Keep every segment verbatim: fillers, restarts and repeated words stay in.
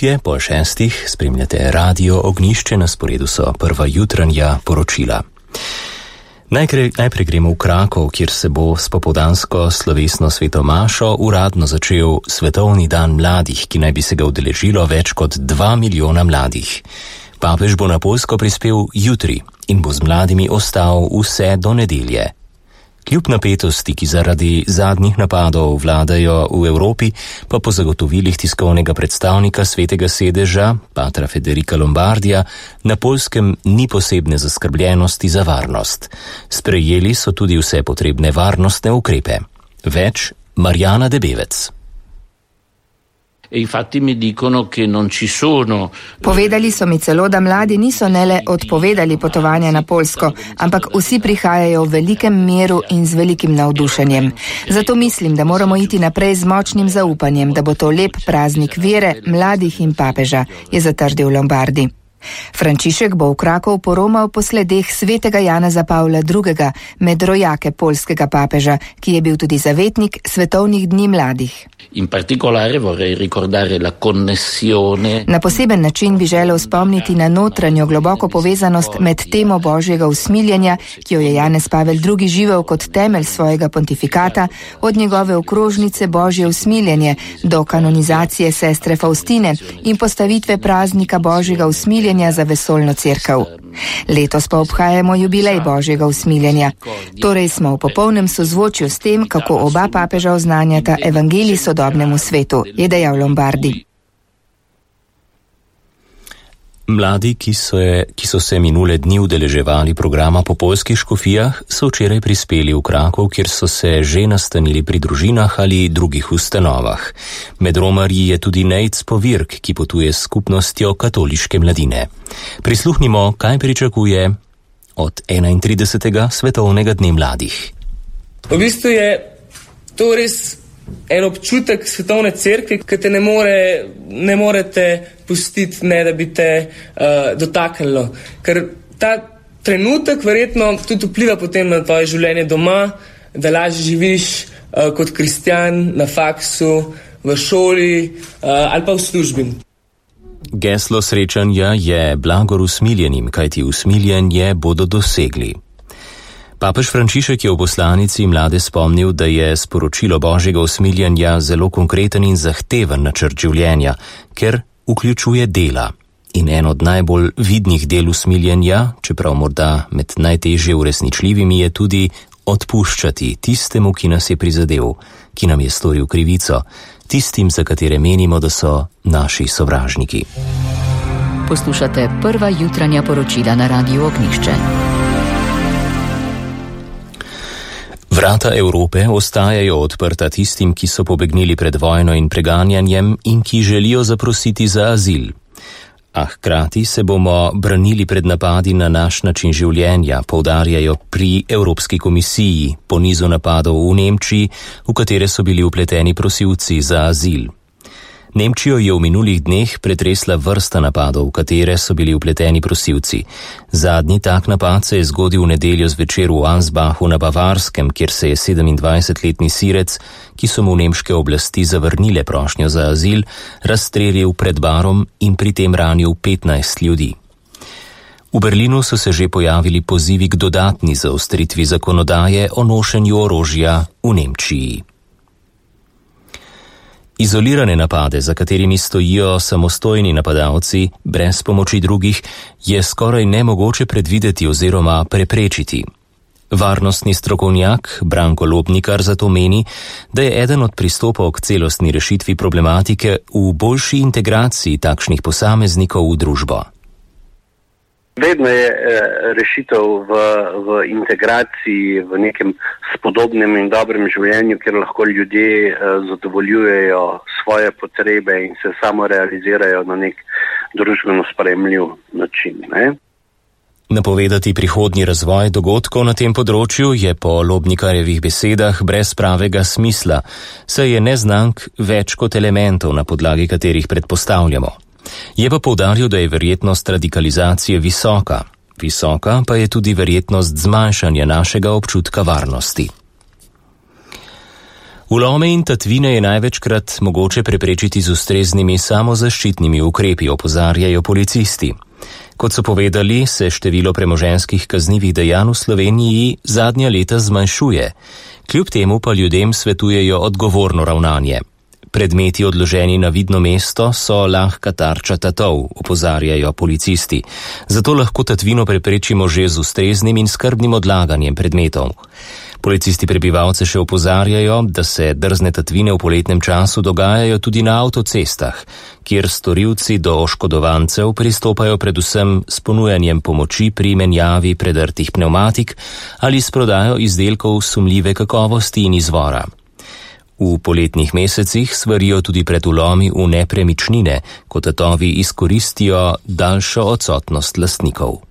Je pol šestih, spremljate Radio Ognjišče, na sporedu so prva jutranja poročila. Najprej, najprej gremo v Krakov, kjer se bo s popoldansko slovesno svetomašo uradno začel Svetovni dan mladih, ki naj bi se ga udeležilo več kot dva milijona mladih. Papež bo na Poljsko prispel jutri in bo z mladimi ostal vse do nedelje. Kljub napetosti, ki zaradi zadnjih napadov vladajo v Evropi, pa po zagotovilih tiskovnega predstavnika Svetega sedeža, patra Federica Lombardija, na Poljskem ni posebne zaskrbljenosti za varnost. Sprejeli so tudi vse potrebne varnostne ukrepe. Več Marjana Debevec. E infatti mi dicono che non ci sono. Povedali so mi celo, da mladi niso ne le odpovedali potovanja na Poljsko, ampak vsi prihajajo v velikem miru in z velikim navdušenjem. Zato mislim, da moramo iti naprej z močnim zaupanjem, da bo to lep praznik vere, mladih in papeža, je zatrdil Lombardi. Frančišek bo v Krakov poromal po sledeh svetega Janeza Pavla drugega med rojake poljskega papeža, ki je bil tudi zavetnik svetovnih dni mladih. In particolare vorrei ricordare la connessione. Na poseben način bi želel spomniti na notranjo globoko povezanost med temo Božjega usmiljenja, ki jo je Janez Pavel drugi živel kot temelj svojega pontifikata, od njegove okrožnice Božje usmiljenje do kanonizacije sestre Faustine in postavitve praznika Božjega usmiljenja za vesoljno cerkev. Letos pa obhajamo jubilej Božjega usmiljenja. Torej smo v popolnem sozvočju s tem, kako oba papeža oznanjata evangelij sodobnemu svetu, je dejal Lombardi. Mladi, ki so, je, ki so se minule dni udeleževali programa po poljskih škofijah, so včeraj prispeli v Krakov, kjer so se že nastanili pri družinah ali drugih ustanovah. Med romarji je tudi Nejc Povirk, ki potuje s skupnostjo katoliške mladine. Prisluhnimo, kaj pričakuje od enaintridesetega svetovnega dne mladih. V bistvu je to res en občutek svetovne cerkve, ki te ne, more, ne morete pustiti, ne da bi te uh, dotaknilo. Ker ta trenutek verjetno tudi vpliva potem na tvoje življenje doma, da lažje živiš uh, kot kristjan na faksu, v šoli uh, ali pa v službi. Geslo srečanja je blagor usmiljenim, kajti usmiljenje bodo dosegli. Papež Frančišek je v poslanici mlade spomnil, da je sporočilo Božjega usmiljenja zelo konkreten in zahteven načrt življenja, ker vključuje dela. In en od najbolj vidnih del usmiljenja, čeprav morda med najtežje uresničljivimi, je tudi odpuščati tistemu, ki nas je prizadel, ki nam je storil krivico, tistim, za katere menimo, da so naši sovražniki. Poslušate prva jutranja poročila na Radiu Ognjišče. Vrata Evrope ostajajo odprta tistim, ki so pobegnili pred vojno in preganjanjem in ki želijo zaprositi za azil. A hkrati se bomo branili pred napadi na naš način življenja, poudarjajo pri Evropski komisiji po nizu napadov v Nemčiji, v katere so bili vpleteni prosilci za azil. Nemčijo je v minulih dneh pretresla vrsta napadov, v katere so bili vpleteni prosilci. Zadnji tak napad se je zgodil v nedeljo zvečer v Ansbachu na Bavarskem, kjer se je sedemindvajsetletni Sirec, ki so mu nemške oblasti zavrnile prošnjo za azil, razstrelil pred barom in pri tem ranil petnajst ljudi. V Berlinu so se že pojavili pozivi k dodatni zaostritvi zakonodaje o nošenju orožja v Nemčiji. Izolirane napade, za katerimi stojijo samostojni napadalci, brez pomoči drugih, je skoraj nemogoče predvideti oziroma preprečiti. Varnostni strokovnjak Branko Lobnikar zato meni, da je eden od pristopov k celostni rešitvi problematike v boljši integraciji takšnih posameznikov v družbo. Vedno je rešitev v, v integraciji, v nekem spodobnem in dobrem življenju, kjer lahko ljudje zadovoljujejo svoje potrebe in se samo realizirajo na nek družbeno sprejemljiv način. Ne? Napovedati prihodnji razvoj dogodkov na tem področju je po Lobnikarjevih besedah brez pravega smisla, saj je neznank več kot elementov, na podlagi katerih predpostavljamo. Je pa poudaril, da je verjetnost radikalizacije visoka. Visoka pa je tudi verjetnost zmanjšanja našega občutka varnosti. Vlome in tatvine je največkrat mogoče preprečiti z ustreznimi samozaščitnimi ukrepi, opozarjajo policisti. Kot so povedali, se število premoženjskih kaznivih dejanj v Sloveniji zadnja leta zmanjšuje. Kljub temu pa ljudem svetujejo odgovorno ravnanje. Predmeti odloženi na vidno mesto so lahka tarča tatov, opozarjajo policisti. Zato lahko tatvino preprečimo že z ustreznim in skrbnim odlaganjem predmetov. Policisti prebivalce še opozarjajo, da se drzne tatvine v poletnem času dogajajo tudi na avtocestah, kjer storilci do oškodovancev pristopajo predvsem s ponujanjem pomoči pri menjavi predrtih pnevmatik ali s prodajo izdelkov sumljive kakovosti in izvora. V poletnih mesecih svarijo tudi pred vlomi v nepremičnine, ko tatovi izkoristijo daljšo odsotnost lastnikov.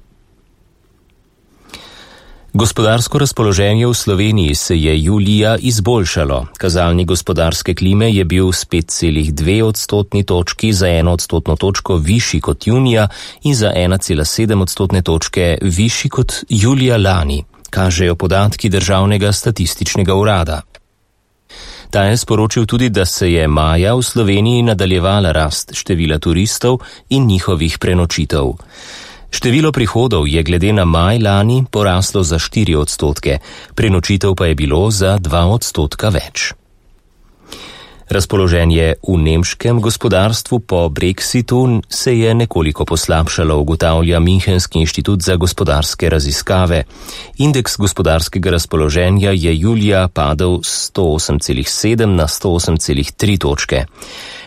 Gospodarsko razpoloženje v Sloveniji se je julija izboljšalo. Kazalnik gospodarske klime je bil s pet celih dve odstotni točki za eno odstotno točko višji kot junija in za ena cela sedem odstotne točke višji kot julija lani, kažejo podatki Državnega statističnega urada. Ta je sporočil tudi, da se je maja v Sloveniji nadaljevala rast števila turistov in njihovih prenočitev. Število prihodov je glede na maj lani poraslo za štiri odstotke, prenočitev pa je bilo za dva odstotka več. Razpoloženje v nemškem gospodarstvu po Brexitu se je nekoliko poslabšalo, ugotavlja Münchenski inštitut za gospodarske raziskave. Indeks gospodarskega razpoloženja je julija padel sto osem celih sedem na sto osem celih tri točke.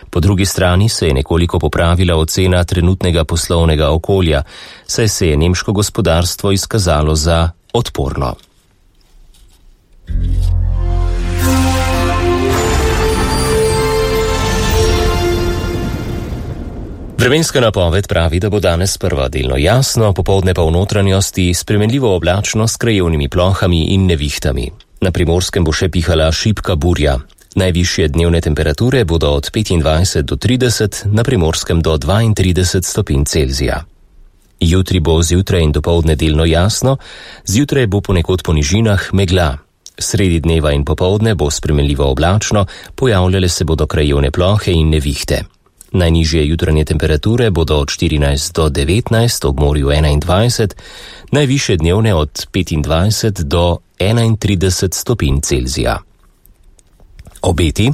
Po drugi strani se je nekoliko popravila ocena trenutnega poslovnega okolja, saj se je nemško gospodarstvo izkazalo za odporno. Vremenska napoved pravi, da bo danes sprva delno jasno, popoldne pa v notranjosti spremenljivo oblačno s krajevnimi plohami in nevihtami. Na Primorskem bo še pihala šibka burja. Najvišje dnevne temperature bodo od petindvajset do trideset, na Primorskem do dvaintrideset stopinj Celzija. Jutri bo zjutraj in dopoldne delno jasno, zjutraj bo ponekod po nižinah megla. Sredi dneva in popoldne bo spremenljivo oblačno, pojavljale se bodo krajevne plohe in nevihte. Najnižje jutranje temperature bodo od štirinajst do devetnajst, ob morju enaindvajset, najvišje dnevne od petindvajset do enaintrideset stopinj Celzija. Obeti.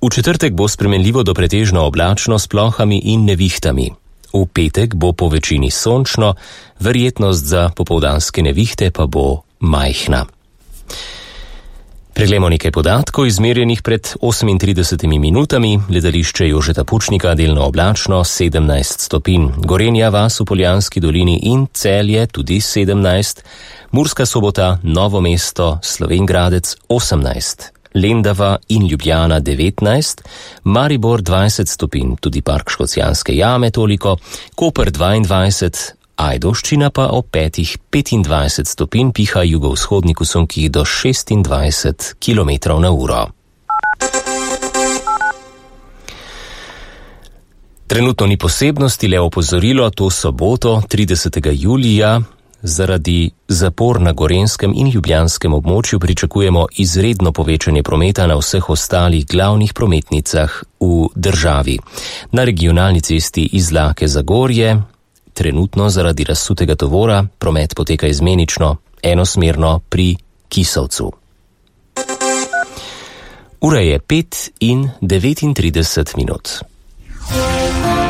V četrtek bo spremenljivo do pretežno oblačno s plohami in nevihtami. V petek bo po večini sončno, verjetnost za popoldanske nevihte pa bo majhna. Preglejmo nekaj podatkov izmerjenih pred osemintridesetimi minutami. Letališče Jožeta Pučnika delno oblačno sedemnajst stopinj, Gorenja vas v Poljanski dolini in Celje tudi sedemnajst, Murska Sobota, Novo mesto, Slovenj Gradec osemnajst, Lendava in Ljubljana devetnajst, Maribor dvajset stopinj, tudi Park Škocjanske jame toliko, Koper dvaindvajset, Ajdovščina pa ob petih petindvajset stopinj, piha jugovzhodnik v sunkih do šestindvajset kilometrov na uro. Trenutno ni posebnosti, le opozorilo, to soboto, tridesetega julija, zaradi zapor na Gorenjskem in Ljubljanskem območju pričakujemo izredno povečanje prometa na vseh ostalih glavnih prometnicah v državi. Na regionalni cesti Izlake Zagorje trenutno zaradi razsutega tovora promet poteka izmenično, enosmerno pri Kisovcu. Ura je pet in devetintrideset minut.